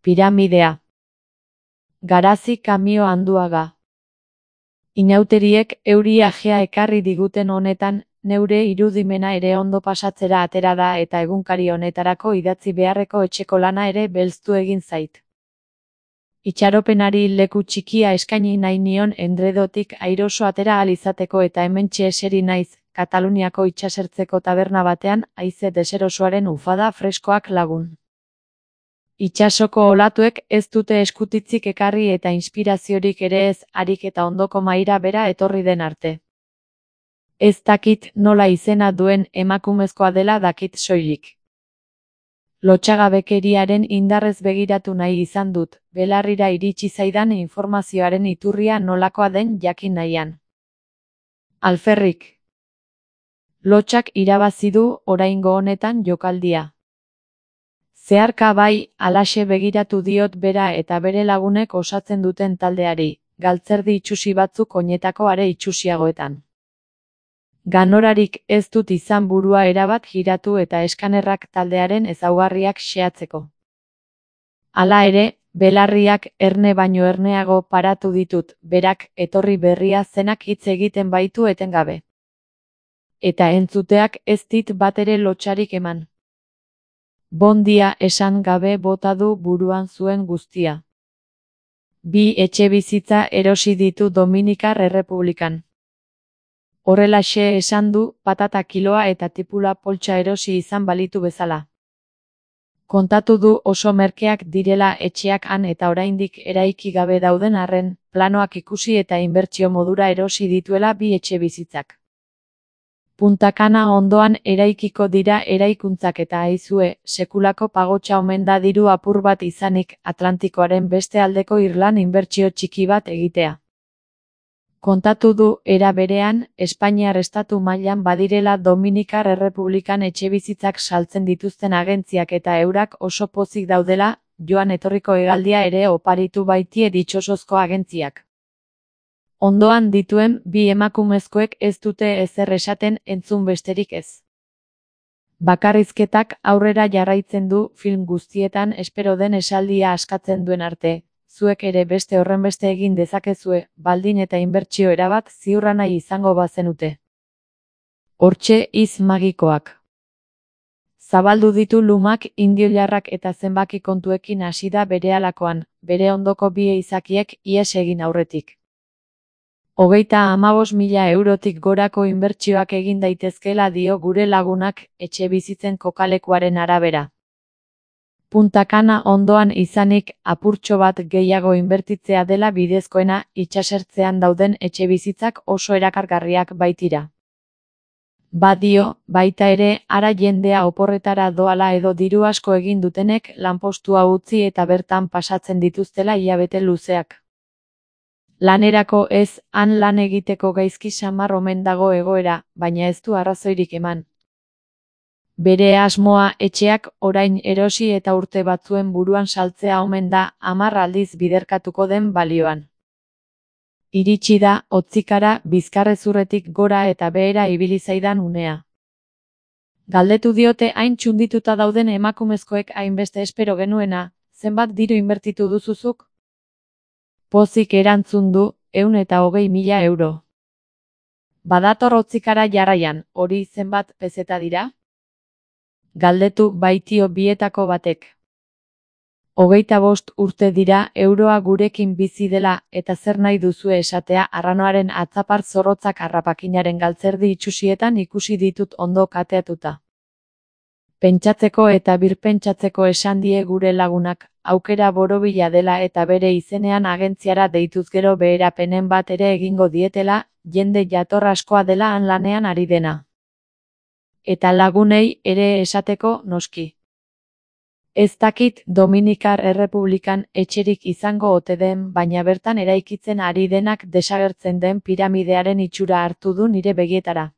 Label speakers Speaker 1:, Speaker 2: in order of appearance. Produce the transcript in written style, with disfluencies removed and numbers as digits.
Speaker 1: Piramidea. Garazi Kamio Anduaga. Inauteriek euri ajea ekarri diguten honetan, neure irudimena ere ondo pasatzera atera da eta egunkari honetarako idatzi beharreko etxeko lana ere belztu egin zait. Itxaropenari leku txikia eskaini nahi nion endredotik airoso atera ahal izateko eta hementxe eseri naiz, Kataluniako itsasertzeko taberna batean, haize deserosoaren ufada freskoak lagun. Itsasoko olatuek ez dute eskutitzik ekarri eta inspiraziorik ere ez, harik eta ondoko mahaira bera etorri den arte. Ez dakit nola izena duen emakumezkoa dela dakit soilik. Lotsagabekeriaren indarrez begiratu nahi izan dut, belarrira iritsi zaidan informazioaren iturria nolakoa den jakin nahian. Alferrik. Lotsak irabazi du oraingo honetan jokaldia. Zeharka bai, halaxe begiratu diot bera eta bere lagunek osatzen duten taldeari, galtzerdi itsusi batzuk oinetako are itsusiagoetan. Ganorarik ez dut izan burua erabat giratu eta eskanerrak taldearen ezaugarriak xehatzeko. Hala ere, belarriak erne baino erneago paratu ditut, berak etorri berria zenak hitz egiten baitu etengabe. Eta entzuteak ez dit batere lotsarik eman. Bondia esan gabe bota du buruan zuen guztia. 2 etxebizitza erosi ditu Dominikar Errepublikan. Horrelaxe esan du, patata kiloa eta tipula poltsa erosi izan balitu bezala. Kontatu du oso merkeak direla etxeak han eta oraindik eraiki gabe dauden arren, planoak ikusi eta inbertsio modura erosi dituela 2 etxebizitzak. Punta Cana ondoan eraikiko dira eraikuntzak eta aizue, sekulako pagotxa omen da diru apur bat izanik Atlantikoaren beste aldeko irlan inbertsio txiki bat egitea. Kontatu du, era berean, Espainiar estatu mailan badirela Dominikar Errepublikan etxebizitzak saltzen dituzten agentziak eta eurak oso pozik daudela, joan etorriko hegaldia ere oparitu baitie ditxosozko agentziak. Ondoan dituen 2 emakumezkoek ez dute ezer esaten entzun besterik ez. Bakarrizketak aurrera jarraitzen du film guztietan espero den esaldia askatzen duen arte, zuek ere beste horrenbeste egin dezakezue, baldin eta inbertsio erabat ziurra nahi izango bazenute. Hortxe hitz magikoak. Zabaldu ditu lumak indioilarrak eta zenbaki kontuekin hasi da berehalakoan, bere ondoko 2 izakiek ihes egin aurretik. 35.000 eurotik gorako inbertsioak egin daitezkeela dio gure lagunak etxebizitzen kokalekuaren arabera. Punta Cana ondoan izanik apurtxo bat gehiago inbertitzea dela bidezkoena, itsasertzean dauden etxebizitzak oso erakargarriak baitira. Badio, baita ere, ara jendea oporretara doala edo diru asko egin dutenek lanpostua utzi eta bertan pasatzen dituztela hilabete luzeak. Lanerako ez, han lan egiteko gaizki samar omen dago egoera, baina ez du arrazoirik eman. Bere asmoa etxeak orain erosi eta urte batzuen buruan saltzea omen da 10 aldiz biderkatuko den balioan. Iritsi da, hotzikara, bizkarrezurretik gora eta behera ibili zaidan unea. Galdetu diote hain txundituta dauden emakumezkoek hainbeste espero genuena, zenbat diru inbertitu duzuzuk? Pozik erantzun du, 120.000 euro. Badator hotzikara jarraian, hori zenbat pezeta dira? Galdetu baitio bietako batek. 25 urte dira euroa gurekin bizi dela eta zer nahi duzue esatea arranoaren atzapar zorrotzak harrapakinaren galtzerdi itsusietan ikusi ditut ondo kateatuta. Pentsatzeko eta birpentsatzeko esan die gure lagunak, aukera borobila dela eta bere izenean agentziara deituz gero beherapenen bat ere egingo dietela, jende jator askoa dela han lanean ari dena. Eta lagunei ere esateko noski. Ez dakit Dominikar Errepublikan etxerik izango ote den, baina bertan eraikitzen ari denak desagertzen den piramidearen itxura hartu du nire begietara.